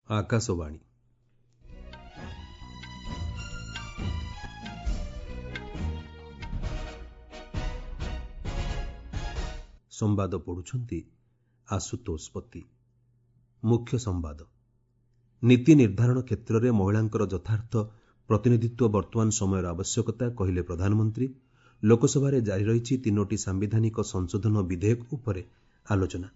ଆକାଶବାଣୀ। ସମ୍ବାଦ ପଢ଼ୁଛନ୍ତି ଆଶୁତୋଷ ପତି। ମୁଖ୍ୟ ସମ୍ବାଦ। ନୀତି ନିର୍ଦ୍ଧାରଣ କ୍ଷେତ୍ରରେ ମହିଳାଙ୍କର ଯଥାର୍ଥ ପ୍ରତିନିଧିତ୍ୱ ବର୍ତ୍ତମାନ ସମୟର ଆବଶ୍ୟକତା, କହିଲେ ପ୍ରଧାନମନ୍ତ୍ରୀ। ଲୋକସଭାରେ ଜାରି ରହିଛି ତିନୋଟି ସାମ୍ବିଧାନିକ ସଂଶୋଧନ ବିଧେୟକ ଉପରେ ଆଲୋଚନା।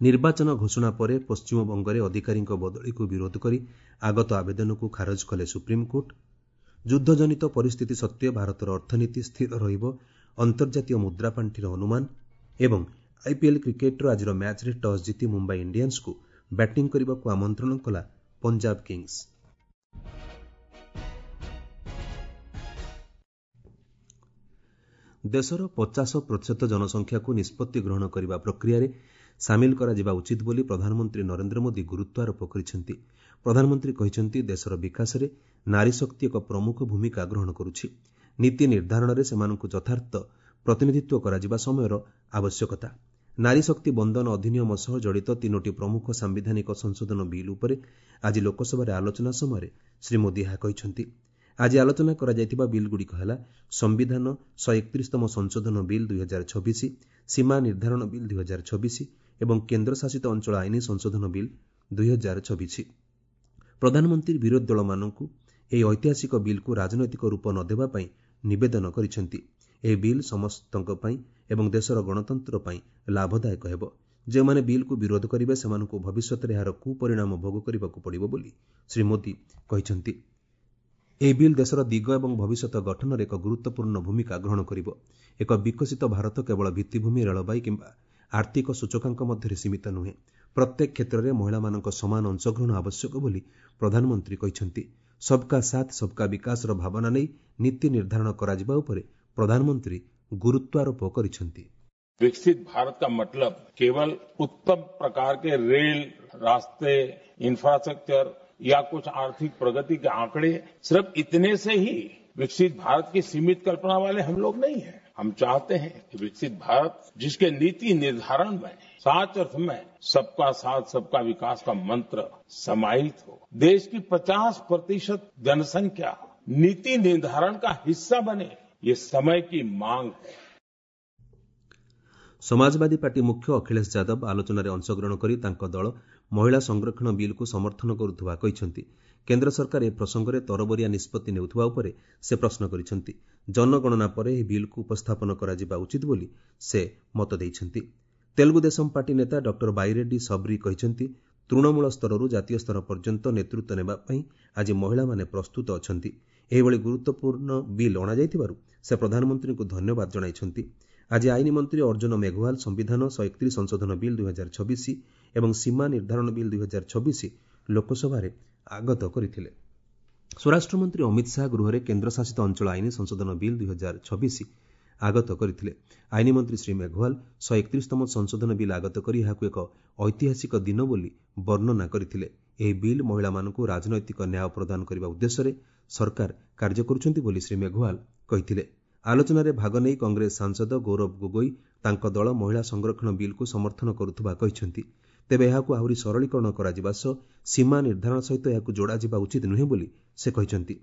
ନିର୍ବାଚନ ଘୋଷଣା ପରେ ପଶ୍ଚିମବଙ୍ଗରେ ଅଧିକାରୀଙ୍କ ବଦଳିକୁ ବିରୋଧ କରି ଆଗତ ଆବେଦନକୁ ଖାରଜ କଲେ ସୁପ୍ରିମକୋର୍ଟ। ଯୁଦ୍ଧଜନିତ ପରିସ୍ଥିତି ସତ୍ତ୍ୱେ ଭାରତର ଅର୍ଥନୀତି ସ୍ଥିର ରହିବ, ଅନ୍ତର୍ଜାତୀୟ ମୁଦ୍ରାପାଣ୍ଠିର ଅନୁମାନ। ଏବଂ ଆଇପିଏଲ୍ କ୍ରିକେଟ୍ର ଆଜିର ମ୍ୟାଚ୍ରେ ଟସ୍ ଜିତି ମୁମ୍ବାଇ ଇଣ୍ଡିଆନ୍ସକୁ ବ୍ୟାଟିଂ କରିବାକୁ ଆମନ୍ତ୍ରଣ କଲା ପଞ୍ଜାବ କିଙ୍ଗସ୍। ଦେଶର 50% ଜନସଂଖ୍ୟାକୁ ନିଷ୍ପତ୍ତି ଗ୍ରହଣ କରିବା ପ୍ରକ୍ରିୟାରେ ସାମିଲ କରାଯିବା ଉଚିତ ବୋଲି ପ୍ରଧାନମନ୍ତ୍ରୀ ନରେନ୍ଦ୍ର ମୋଦି ଗୁରୁତ୍ୱାରୋପ କରିଛନ୍ତି। ପ୍ରଧାନମନ୍ତ୍ରୀ କହିଛନ୍ତି, ଦେଶର ବିକାଶରେ ନାରୀଶକ୍ତି ଏକ ପ୍ରମୁଖ ଭୂମିକା ଗ୍ରହଣ କରୁଛି। ନୀତି ନିର୍ଦ୍ଧାରଣରେ ସେମାନଙ୍କୁ ଯଥାର୍ଥ ପ୍ରତିନିଧିତ୍ୱ କରାଯିବା ସମୟର ଆବଶ୍ୟକତା। ନାରୀ ଶକ୍ତି ବନ୍ଦନ ଅଧିନିୟମ ସହ ଜଡ଼ିତ ତିନୋଟି ପ୍ରମୁଖ ସାମ୍ବିଧାନିକ ସଂଶୋଧନ ବିଲ୍ ଉପରେ ଆଜି ଲୋକସଭାରେ ଆଲୋଚନା ସମୟରେ ଶ୍ରୀ ମୋଦି ଏହା କହିଛନ୍ତି। ଆଜି ଆଲୋଚନା କରାଯାଇଥିବା ବିଲ୍ଗୁଡ଼ିକ ହେଲା ସମ୍ବିଧାନ 131ତମ ସଂଶୋଧନ ବିଲ୍ 2026, ସୀମା ନିର୍ଦ୍ଧାରଣ ବିଲ୍ 2026 ଏବଂ କେନ୍ଦ୍ରଶାସିତ ଅଞ୍ଚଳ ଆଇନ ସଂଶୋଧନ ବିଲ୍ 2026। ପ୍ରଧାନମନ୍ତ୍ରୀ ବିରୋଧୀ ଦଳମାନଙ୍କୁ ଏହି ଐତିହାସିକ ବିଲ୍କୁ ରାଜନୈତିକ ରୂପ ନ ଦେବା ପାଇଁ ନିବେଦନ କରିଛନ୍ତି। ଏହି ବିଲ୍ ସମସ୍ତଙ୍କ ପାଇଁ ଏବଂ ଦେଶର ଗଣତନ୍ତ୍ର ପାଇଁ ଲାଭଦାୟକ ହେବ। ଯେଉଁମାନେ ବିଲ୍କୁ ବିରୋଧ କରିବେ, ସେମାନଙ୍କୁ ଭବିଷ୍ୟତରେ ଏହାର କୁପରିଣାମ ଭୋଗ କରିବାକୁ ପଡ଼ିବ ବୋଲି ଶ୍ରୀ ମୋଦି କହିଛନ୍ତି। ଏହି ବିଲ୍ ଦେଶର ଦିଗ ଏବଂ ଭବିଷ୍ୟତ ଗଠନରେ ଏକ ଗୁରୁତ୍ୱପୂର୍ଣ୍ଣ ଭୂମିକା ଗ୍ରହଣ କରିବ। ଏକ ବିକଶିତ ଭାରତ କେବଳ ଭିତ୍ତିଭୂମି, ରେଳବାଇ କିମ୍ବା ଆର୍ଥିକ ସୂଚକାଙ୍କ ମଧ୍ୟରେ ସୀମିତ ନୁହେଁ। ପ୍ରତ୍ୟେକ କ୍ଷେତ୍ରରେ ମହିଳାମାନଙ୍କ ସମାନ ଅଂଶଗ୍ରହଣ ଆବଶ୍ୟକ ବୋଲି ପ୍ରଧାନମନ୍ତ୍ରୀ କହିଛନ୍ତି। ସବ୍କା ସାଥ୍ ସବ୍କା ବିକାଶର ଭାବନା ନେଇ ନୀତି ନିର୍ଦ୍ଧାରଣ କରାଯିବା ଉପରେ ପ୍ରଧାନମନ୍ତ୍ରୀ ଗୁରୁତ୍ୱାରୋପ କରିଛନ୍ତି। विकसित भारत का मतलब केवल उत्तम प्रकार के रेल रास्ते, इंफ्रास्ट्रक्चर या कुछ आर्थिक प्रगति के आंकड़े, सिर्फ इतने से ही विकसित भारत की सीमित कल्पना वाले हम लोग नहीं हैं। हम चाहते हैं कि विकसित भारत जिसके नीति निर्धारण में साच अर्थ में सबका साथ सबका विकास का मंत्र समाहित हो, देश की 50% जनसंख्या नीति निर्धारण का हिस्सा बने, ये समय की मांग है। ସମାଜବାଦୀ ପାର୍ଟି ମୁଖ୍ୟ ଅଖିଳେଶ ଯାଦବ ଆଲୋଚନାରେ ଅଂଶଗ୍ରହଣ କରି ତାଙ୍କ ଦଳ ମହିଳା ସଂରକ୍ଷଣ ବିଲ୍କୁ ସମର୍ଥନ କରୁଥିବା କହିଛନ୍ତି। କେନ୍ଦ୍ର ସରକାର ଏ ପ୍ରସଙ୍ଗରେ ତରବରିଆ ନିଷ୍ପତ୍ତି ନେଉଥିବା ଉପରେ ସେ ପ୍ରଶ୍ନ କରିଛନ୍ତି। ଜନଗଣନା ପରେ ଏହି ବିଲ୍କୁ ଉପସ୍ଥାପନ କରାଯିବା ଉଚିତ ବୋଲି ସେ ମତ ଦେଇଛନ୍ତି। ତେଲୁଗୁ ଦେଶମ ପାର୍ଟି ନେତା ଡକ୍ଟର ବାଇରେଡ୍ଡି ସବରୀ କହିଛନ୍ତି, ତୃଣମୂଳ ସ୍ତରରୁ ଜାତୀୟ ସ୍ତର ପର୍ଯ୍ୟନ୍ତ ନେତୃତ୍ୱ ନେବା ପାଇଁ ଆଜି ମହିଳାମାନେ ପ୍ରସ୍ତୁତ ଅଛନ୍ତି। ଏହିଭଳି ଗୁରୁତ୍ୱପୂର୍ଣ୍ଣ ବିଲ୍ ଅଣାଯାଇଥିବାରୁ ସେ ପ୍ରଧାନମନ୍ତ୍ରୀଙ୍କୁ ଧନ୍ୟବାଦ ଜଣାଇଛନ୍ତି। ଆଜି ଆଇନ ମନ୍ତ୍ରୀ ଅର୍ଜୁନ ମେଘୱାଲ ସମ୍ବିଧାନ 131 ସଂଶୋଧନ ବିଲ୍ 2026 ଏବଂ ସୀମା ନିର୍ଦ୍ଧାରଣ ବିଲ୍ 2026 ଲୋକସଭାରେ ଆଗତ କରିଥିଲେ। ସ୍ୱରାଷ୍ଟ୍ରମନ୍ତ୍ରୀ ଅମିତ ଶାହା ଗୃହରେ କେନ୍ଦ୍ରଶାସିତ ଅଞ୍ଚଳ ଆଇନ ସଂଶୋଧନ ବିଲ୍ 2026 ଆଗତ କରିଥିଲେ। ଆଇନ ମନ୍ତ୍ରୀ ଶ୍ରୀ ମେଘୱାଲ 131ତମ ସଂଶୋଧନ ବିଲ୍ ଆଗତ କରି ଏହାକୁ ଏକ ଐତିହାସିକ ଦିନ ବୋଲି ବର୍ଣ୍ଣନା କରିଥିଲେ। ଏହି ବିଲ୍ ମହିଳାମାନଙ୍କୁ ରାଜନୈତିକ ନ୍ୟାୟ ପ୍ରଦାନ କରିବା ଉଦ୍ଦେଶ୍ୟରେ ସରକାର କାର୍ଯ୍ୟ କରୁଛନ୍ତି ବୋଲି ଶ୍ରୀ ମେଘୱାଲ କହିଥିଲେ। ଆଲୋଚନାରେ ଭାଗ ନେଇ କଂଗ୍ରେସ ସାଂସଦ ଗୌରବ ଗୋଗୋଇ ତାଙ୍କ ଦଳ ମହିଳା ସଂରକ୍ଷଣ ବିଲ୍କୁ ସମର୍ଥନ କରୁଥିବା କହିଛନ୍ତି। ତେବେ ଏହାକୁ ଆହୁରି ସରଳୀକରଣ କରାଯିବା ସହ ସୀମା ନିର୍ଦ୍ଧାରଣ ସହିତ ଏହାକୁ ଯୋଡ଼ାଯିବା ଉଚିତ ନୁହେଁ ବୋଲି ସେ କହିଛନ୍ତି।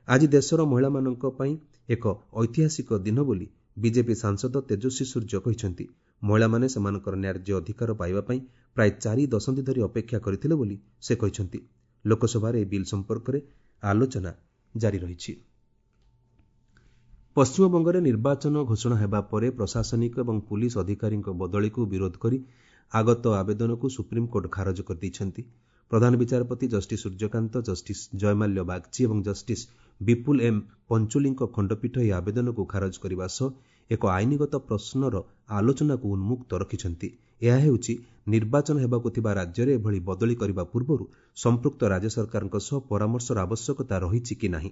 ଆଜି ଦେଶର ମହିଳାମାନଙ୍କ ପାଇଁ ଏକ ଐତିହାସିକ ଦିନ ବୋଲି ବିଜେପି ସାଂସଦ ତେଜସ୍ୱୀ ସୂର୍ଯ୍ୟ କହିଛନ୍ତି। ମହିଳାମାନେ ସେମାନଙ୍କର ନ୍ୟାଯ୍ୟ ଅଧିକାର ପାଇବା ପାଇଁ ପ୍ରାୟ 4 ଦଶନ୍ଧି ଧରି ଅପେକ୍ଷା କରିଥିଲେ ବୋଲି ସେ କହିଛନ୍ତି। ଲୋକସଭାରେ ଏହି ବିଲ୍ ସମ୍ପର୍କରେ ଆଲୋଚନା ଜାରି ରହିଛି। ପଶ୍ଚିମବଙ୍ଗରେ ନିର୍ବାଚନ ଘୋଷଣା ହେବା ପରେ ପ୍ରଶାସନିକ ଏବଂ ପୁଲିସ ଅଧିକାରୀଙ୍କ ବଦଳିକୁ ବିରୋଧ କରି ଆଗତ ଆବେଦନକୁ ସୁପ୍ରିମକୋର୍ଟ ଖାରଜ କରିଦେଇଛନ୍ତି। ପ୍ରଧାନ ବିଚାରପତି ଜଷ୍ଟିସ୍ ସୂର୍ଯ୍ୟକାନ୍ତ, ଜଷ୍ଟିସ୍ ଜୟମାଲ୍ୟ ବାଗ୍ଚୀ ଏବଂ ଜଷ୍ଟିସ୍ ବିପୁଲ ଏମ୍ ପଞ୍ଚୋଲିଙ୍କ ଖଣ୍ଡପୀଠ ଏହି ଆବେଦନକୁ ଖାରଜ କରିବା ସହ ଏକ ଆଇନଗତ ପ୍ରଶ୍ନର ଆଲୋଚନାକୁ ଉନ୍ମୁକ୍ତ ରଖିଛନ୍ତି। ଏହା ହେଉଛି, ନିର୍ବାଚନ ହେବାକୁ ଥିବା ରାଜ୍ୟରେ ଏଭଳି ବଦଳି କରିବା ପୂର୍ବରୁ ସମ୍ପୃକ୍ତ ରାଜ୍ୟ ସରକାରଙ୍କ ସହ ପରାମର୍ଶର ଆବଶ୍ୟକତା ରହିଛି କି ନାହିଁ।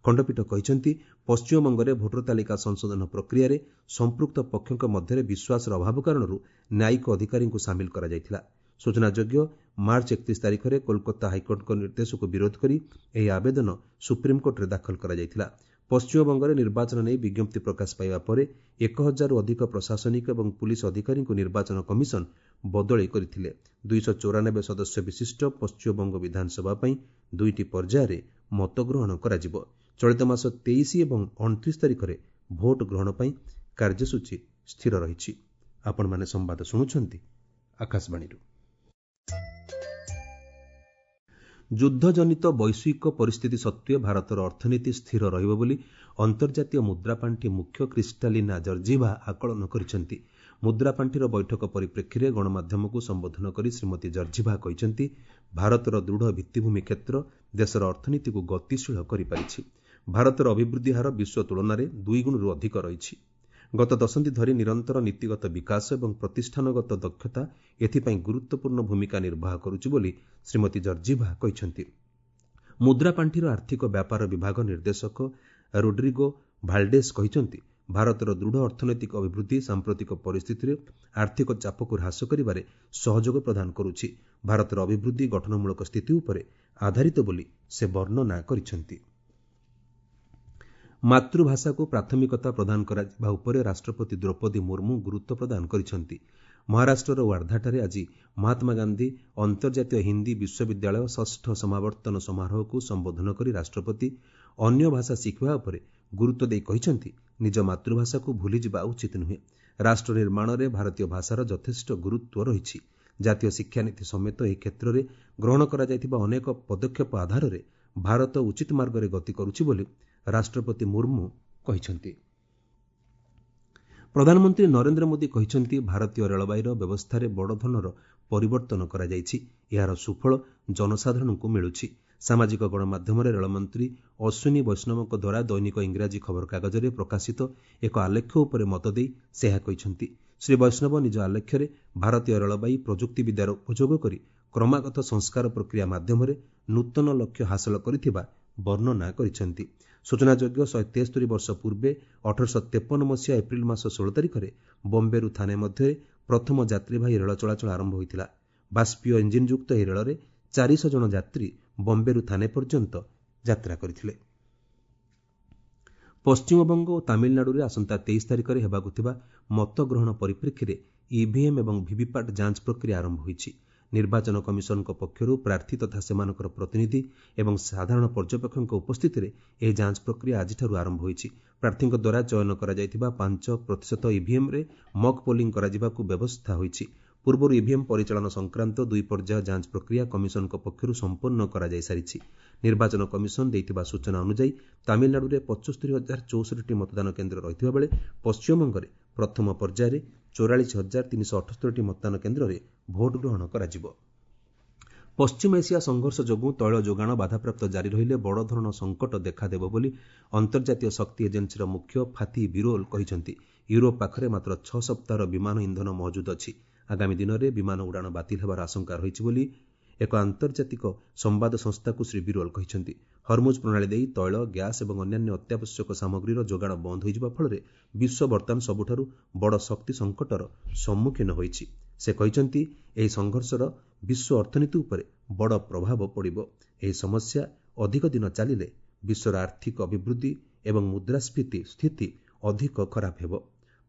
ଖଣ୍ଡପୀଠ କହିଛନ୍ତି, ପଶ୍ଚିମବଙ୍ଗରେ ଭୋଟର ତାଲିକା ସଂଶୋଧନ ପ୍ରକ୍ରିୟାରେ ସମ୍ପୃକ୍ତ ପକ୍ଷଙ୍କ ମଧ୍ୟରେ ବିଶ୍ୱାସର ଅଭାବ କାରଣରୁ ନ୍ୟାୟିକ ଅଧିକାରୀଙ୍କୁ ସାମିଲ କରାଯାଇଥିଲା। ସୂଚନାଯୋଗ୍ୟ, ମାର୍ଚ୍ଚ 31 ତାରିଖରେ କୋଲକାତା ହାଇକୋର୍ଟଙ୍କ ନିର୍ଦ୍ଦେଶକୁ ବିରୋଧ କରି ଏହି ଆବେଦନ ସୁପ୍ରିମକୋର୍ଟରେ ଦାଖଲ କରାଯାଇଥିଲା। ପଶ୍ଚିମବଙ୍ଗରେ ନିର୍ବାଚନ ନେଇ ବିଜ୍ଞପ୍ତି ପ୍ରକାଶ ପାଇବା ପରେ 1000ରୁ ଅଧିକ ପ୍ରଶାସନିକ ଏବଂ ପୁଲିସ ଅଧିକାରୀଙ୍କୁ ନିର୍ବାଚନ କମିଶନ ବଦଳି କରିଥିଲେ। 294 ସଦସ୍ୟ ବିଶିଷ୍ଟ ପଶ୍ଚିମବଙ୍ଗ ବିଧାନସଭା ପାଇଁ ଦୁଇଟି ପର୍ଯ୍ୟାୟରେ ମତଗ୍ରହଣ କରାଯିବ। ଚଳିତ ମାସ 23 ଏବଂ 29 ତାରିଖରେ ଭୋଟ ଗ୍ରହଣ ପାଇଁ କାର୍ଯ୍ୟସୂଚୀ ସ୍ଥିର ରହିଛି। ଆପଣମାନେ ସମ୍ବାଦ ଶୁଣୁଛନ୍ତି ଆକାଶବାଣୀରୁ। ଯୁଦ୍ଧଜନିତ ବୈଶ୍ୱିକ ପରିସ୍ଥିତି ସତ୍ତ୍ୱେ ଭାରତର ଅର୍ଥନୀତି ସ୍ଥିର ରହିବ ବୋଲି ଅନ୍ତର୍ଜାତୀୟ ମୁଦ୍ରାପାଣ୍ଠି ମୁଖ୍ୟ କ୍ରିଷ୍ଟାଲିନା ଜର୍ଜିଭା ଆକଳନ କରିଛନ୍ତି। ମୁଦ୍ରାପାଣ୍ଠିର ବୈଠକ ପରିପ୍ରେକ୍ଷୀରେ ଗଣମାଧ୍ୟମକୁ ସମ୍ବୋଧନ କରି ଶ୍ରୀମତୀ ଜର୍ଜିଭା କହିଛନ୍ତି, ଭାରତର ଦୃଢ଼ ଭିତ୍ତିଭୂମି କ୍ଷେତ୍ର ଦେଶର ଅର୍ଥନୀତିକୁ ଗତିଶୀଳ କରିପାରିଛି। ଭାରତର ଅଭିବୃଦ୍ଧି ହାର ବିଶ୍ୱ ତୁଳନାରେ ଦୁଇଗୁଣରୁ ଅଧିକ ରହିଛି। ଗତ ଦଶନ୍ଧି ଧରି ନିରନ୍ତର ନୀତିଗତ ବିକାଶ ଏବଂ ପ୍ରତିଷ୍ଠାନଗତ ଦକ୍ଷତା ଏଥିପାଇଁ ଗୁରୁତ୍ୱପୂର୍ଣ୍ଣ ଭୂମିକା ନିର୍ବାହ କରୁଛି ବୋଲି ଶ୍ରୀମତୀ ଜର୍ଜିଭା କହିଛନ୍ତି। ମୁଦ୍ରାପାଣ୍ଠିର ଆର୍ଥିକ ବ୍ୟାପାର ବିଭାଗ ନିର୍ଦ୍ଦେଶକ ରୋଡ୍ରିଗୋ ଭାଲ୍ଡେସ୍ କହିଛନ୍ତି, ଭାରତର ଦୃଢ଼ ଅର୍ଥନୈତିକ ଅଭିବୃଦ୍ଧି ସାମ୍ପ୍ରତିକ ପରିସ୍ଥିତିରେ ଆର୍ଥିକ ଚାପକୁ ହ୍ରାସ କରିବାରେ ସହଯୋଗ ପ୍ରଦାନ କରୁଛି। ଭାରତର ଅଭିବୃଦ୍ଧି ଗଠନମୂଳକ ସ୍ଥିତି ଉପରେ ଆଧାରିତ ବୋଲି ସେ ବର୍ଣ୍ଣନା କରିଛନ୍ତି। ମାତୃଭାଷାକୁ ପ୍ରାଥମିକତା ପ୍ରଦାନ କରାଯିବା ଉପରେ ରାଷ୍ଟ୍ରପତି ଦ୍ରୌପଦୀ ମୁର୍ମୁ ଗୁରୁତ୍ୱ ପ୍ରଦାନ କରିଛନ୍ତି। ମହାରାଷ୍ଟ୍ରର ୱାର୍ଦ୍ଧାଠାରେ ଆଜି ମହାତ୍ମା ଗାନ୍ଧୀ ଅନ୍ତର୍ଜାତୀୟ ହିନ୍ଦୀ ବିଶ୍ୱବିଦ୍ୟାଳୟ ଷଷ୍ଠ ସମାବର୍ତ୍ତନ ସମାରୋହକୁ ସମ୍ବୋଧନ କରି ରାଷ୍ଟ୍ରପତି ଅନ୍ୟ ଭାଷା ଶିଖିବା ଉପରେ ଗୁରୁତ୍ୱ ଦେଇ କହିଛନ୍ତି, ନିଜ ମାତୃଭାଷାକୁ ଭୁଲିଯିବା ଉଚିତ ନୁହେଁ। ରାଷ୍ଟ୍ର ନିର୍ମାଣରେ ଭାରତୀୟ ଭାଷାର ଯଥେଷ୍ଟ ଗୁରୁତ୍ୱ ରହିଛି। ଜାତୀୟ ଶିକ୍ଷାନୀତି ସମେତ ଏହି କ୍ଷେତ୍ରରେ ଗ୍ରହଣ କରାଯାଇଥିବା ଅନେକ ପଦକ୍ଷେପ ଆଧାରରେ ଭାରତ ଉଚିତ ମାର୍ଗରେ ଗତି କରୁଛି ବୋଲି ରାଷ୍ଟ୍ରପତି ମୁର୍ମୁ କହିଛନ୍ତି। ପ୍ରଧାନମନ୍ତ୍ରୀ ନରେନ୍ଦ୍ର ମୋଦି କହିଛନ୍ତି, ଭାରତୀୟ ରେଳବାଇର ବ୍ୟବସ୍ଥାରେ ବଡ଼ ଧରଣର ପରିବର୍ତ୍ତନ କରାଯାଇଛି। ଏହାର ସୁଫଳ ଜନସାଧାରଣଙ୍କୁ ମିଳୁଛି। ସାମାଜିକ ଗଣମାଧ୍ୟମରେ ରେଳମନ୍ତ୍ରୀ ଅଶ୍ୱିନୀ ବୈଷ୍ଣବଙ୍କ ଦ୍ୱାରା ଦୈନିକ ଇଂରାଜୀ ଖବରକାଗଜରେ ପ୍ରକାଶିତ ଏକ ଆଲେଖ୍ୟ ଉପରେ ମତ ଦେଇ ସେ ଏହା କହିଛନ୍ତି। ଶ୍ରୀ ବୈଷ୍ଣବ ନିଜ ଆଲେଖ୍ୟରେ ଭାରତୀୟ ରେଳବାଇ ପ୍ରଯୁକ୍ତିବିଦ୍ୟାର ଉପଯୋଗ କରି କ୍ରମାଗତ ସଂସ୍କାର ପ୍ରକ୍ରିୟା ମାଧ୍ୟମରେ ନୂତନ ଲକ୍ଷ୍ୟ ହାସଲ କରିଥିବା ବର୍ଣ୍ଣନା କରିଛନ୍ତି। ସୂଚନାଯୋଗ୍ୟ, 173 ବର୍ଷ ପୂର୍ବେ 1853 ମସିହା ଏପ୍ରିଲ ମାସ 16 ତାରିଖରେ ବମ୍ବେରୁ ଥାନେ ମଧ୍ୟରେ ପ୍ରଥମ ଯାତ୍ରୀବାହୀ ରେଳ ଚଳାଚଳ ଆରମ୍ଭ ହୋଇଥିଲା। ବାଷ୍ପୀୟ ଇଞ୍ଜିନ୍ଯୁକ୍ତ ଏହି ରେଳରେ 400 ଜଣ ଯାତ୍ରୀ ବମ୍ବେରୁ ଥାନେ ପର୍ଯ୍ୟନ୍ତ ଯାତ୍ରା କରିଥିଲେ। ପଶ୍ଚିମବଙ୍ଗ ଓ ତାମିଲନାଡୁରେ ଆସନ୍ତା 23 ତାରିଖରେ ହେବାକୁ ଥିବା ମତଗ୍ରହଣ ପରିପ୍ରେକ୍ଷୀରେ ଇଭିଏମ୍ ଏବଂ ଭିଭିପାଟ୍ ଯାଞ୍ଚ ପ୍ରକ୍ରିୟା ଆରମ୍ଭ ହୋଇଛି। ନିର୍ବାଚନ କମିଶନଙ୍କ ପକ୍ଷରୁ ପ୍ରାର୍ଥୀ ତଥା ସେମାନଙ୍କର ପ୍ରତିନିଧି ଏବଂ ସାଧାରଣ ପର୍ଯ୍ୟବେକ୍ଷକଙ୍କ ଉପସ୍ଥିତିରେ ଏହି ଯାଞ୍ଚ ପ୍ରକ୍ରିୟା ଆଜିଠାରୁ ଆରମ୍ଭ ହୋଇଛି। ପ୍ରାର୍ଥୀଙ୍କ ଦ୍ୱାରା ଚୟନ କରାଯାଇଥିବା 5% ଇଭିଏମ୍ରେ ମକ୍ ପୋଲିଂ କରାଯିବାକୁ ବ୍ୟବସ୍ଥା ହୋଇଛି। ପୂର୍ବରୁ ଇଭିଏମ୍ ପରିଚାଳନା ସଂକ୍ରାନ୍ତ ଦୁଇ ପର୍ଯ୍ୟାୟ ଯାଞ୍ଚ ପ୍ରକ୍ରିୟା କମିଶନଙ୍କ ପକ୍ଷରୁ ସମ୍ପନ୍ନ କରାଯାଇସାରିଛି। ନିର୍ବାଚନ କମିଶନ ଦେଇଥିବା ସୂଚନା ଅନୁଯାୟୀ ତାମିଲନାଡୁରେ 75,064ଟି ମତଦାନ କେନ୍ଦ୍ର ରହିଥିବା ବେଳେ ପଶ୍ଚିମବଙ୍ଗରେ ପ୍ରଥମ ପର୍ଯ୍ୟାୟରେ 44,378ଟି ମତଦାନ କେନ୍ଦ୍ରରେ ଭୋଟ ଗ୍ରହଣ କରାଯିବ। ପଶ୍ଚିମ ଏସିଆ ସଂଘର୍ଷ ଯୋଗୁଁ ତୈଳ ଯୋଗାଣ ବାଧାପ୍ରାପ୍ତ ଜାରି ରହିଲେ ବଡ଼ ଧରଣର ସଙ୍କଟ ଦେଖାଦେବ ବୋଲି ଅନ୍ତର୍ଜାତୀୟ ଶକ୍ତି ଏଜେନ୍ସିର ମୁଖ୍ୟ ଫାତି ବିରୋଲ କହିଛନ୍ତି। ୟୁରୋପ ପାଖରେ ମାତ୍ର 6 ସପ୍ତାହର ବିମାନ ଇନ୍ଧନ ମହଜୁଦ ଅଛି। ଆଗାମୀ ଦିନରେ ବିମାନ ଉଡ଼ାଣ ବାତିଲ ହେବାର ଆଶଙ୍କା ରହିଛି ବୋଲି ଏକ ଆନ୍ତର୍ଜାତିକ ସମ୍ବାଦ ସଂସ୍ଥାକୁ ଶ୍ରୀ ବିରୋଲ କହିଛନ୍ତି। ହରମୁଜ ପ୍ରଣାଳୀ ଦେଇ ତୈଳ, ଗ୍ୟାସ୍ ଏବଂ ଅନ୍ୟାନ୍ୟ ଅତ୍ୟାବଶ୍ୟକ ସାମଗ୍ରୀର ଯୋଗାଣ ବନ୍ଦ ହୋଇଯିବା ଫଳରେ ବିଶ୍ୱ ବର୍ତ୍ତମାନ ସବୁଠାରୁ ବଡ଼ ଶକ୍ତି ସଙ୍କଟର ସମ୍ମୁଖୀନ ହୋଇଛି। ସେ କହିଛନ୍ତି, ଏହି ସଂଘର୍ଷର ବିଶ୍ୱ ଅର୍ଥନୀତି ଉପରେ ବଡ଼ ପ୍ରଭାବ ପଡ଼ିବ। ଏହି ସମସ୍ୟା ଅଧିକ ଦିନ ଚାଲିଲେ ବିଶ୍ୱର ଆର୍ଥିକ ଅଭିବୃଦ୍ଧି ଏବଂ ମୁଦ୍ରାସ୍ଫୀତି ସ୍ଥିତି ଅଧିକ ଖରାପ ହେବ।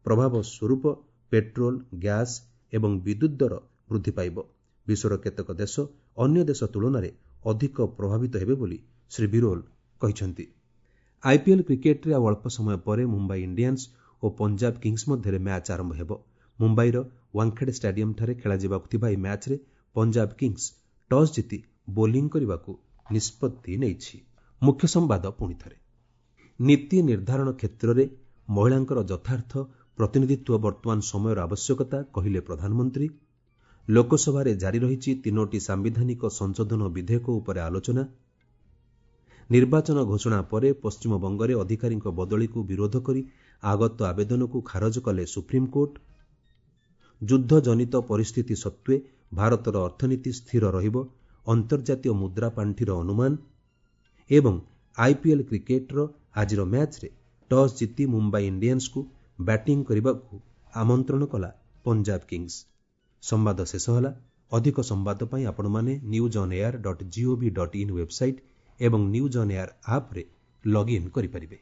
ପ୍ରଭାବ ସ୍ୱରୂପ ପେଟ୍ରୋଲ, ଗ୍ୟାସ୍ ଏବଂ ବିଦ୍ୟୁତ୍ ଦର ବୃଦ୍ଧି ପାଇବ। ବିଶ୍ୱର କେତେକ ଦେଶ ଅନ୍ୟ ଦେଶ ତୁଳନାରେ ଅଧିକ ପ୍ରଭାବିତ ହେବେ ବୋଲି ଶ୍ରୀ ବିରୋଲ କହିଛନ୍ତି। ଆଇପିଏଲ୍ କ୍ରିକେଟ୍ରେ ଆଉ ଅଳ୍ପ ସମୟ ପରେ ମୁମ୍ବାଇ ଇଣ୍ଡିଆନ୍ସ ଓ ପଞ୍ଜାବ କିଙ୍ଗସ୍ ମଧ୍ୟରେ ମ୍ୟାଚ୍ ଆରମ୍ଭ ହେବ। ମୁମ୍ବାଇର ୱାଙ୍ଗଖେଡେ ଷ୍ଟାଡିୟମ୍ଠାରେ ଖେଳାଯିବାକୁ ଥିବା ଏହି ମ୍ୟାଚ୍ରେ ପଞ୍ଜାବ କିଙ୍ଗସ୍ ଟସ୍ ଜିତି ବୋଲିଂ କରିବାକୁ ନିଷ୍ପତ୍ତି ନେଇଛି। ମୁଖ୍ୟ ସମ୍ବାଦ ପୁଣିଥରେ, ନୀତି ନିର୍ଦ୍ଧାରଣ କ୍ଷେତ୍ରରେ ମହିଳାଙ୍କର ଯଥାର୍ଥ ପ୍ରତିନିଧିତ୍ୱ ବର୍ତ୍ତମାନ ସମୟର ଆବଶ୍ୟକତା କହିଲେ ପ୍ରଧାନମନ୍ତ୍ରୀ। ଲୋକସଭାରେ ଜାରି ରହିଛି 3ଟି ସାମ୍ବିଧାନିକ ସଂଶୋଧନ ବିଧେୟକ ଉପରେ ଆଲୋଚନା। ନିର୍ବାଚନ ଘୋଷଣା ପରେ ପଶ୍ଚିମବଙ୍ଗରେ ଅଧିକାରୀଙ୍କ ବଦଳିକୁ ବିରୋଧ କରି ଆଗତ ଆବେଦନକୁ ଖାରଜ କଲେ ସୁପ୍ରିମକୋର୍ଟ। ଯୁଦ୍ଧଜନିତ ପରିସ୍ଥିତି ସତ୍ତ୍ୱେ ଭାରତର ଅର୍ଥନୀତି ସ୍ଥିର ରହିବ, ଅନ୍ତର୍ଜାତୀୟ ମୁଦ୍ରା ପାଣ୍ଠିର ଅନୁମାନ। ଏବଂ ଆଇପିଏଲ୍ କ୍ରିକେଟ୍ର ଆଜିର ମ୍ୟାଚ୍ରେ ଟସ୍ ଜିତି ମୁମ୍ବାଇ ଇଣ୍ଡିଆନ୍ସକୁ ବ୍ୟାଟିଂ କରିବାକୁ ଆମନ୍ତ୍ରଣ କଲା ପଞ୍ଜାବ କିଙ୍ଗସ୍। ସମ୍ବାଦ ଶେଷ ହେଲା। ଅଧିକ ସମ୍ବାଦ ପାଇଁ ଆପଣମାନେ newsonair.gov.in website ଏବଂ ନ୍ୟୁଜ୍ ଅନ୍ ଏୟାର ଆପ୍ରେ ଲଗ୍ଇନ୍ କରିପାରିବେ।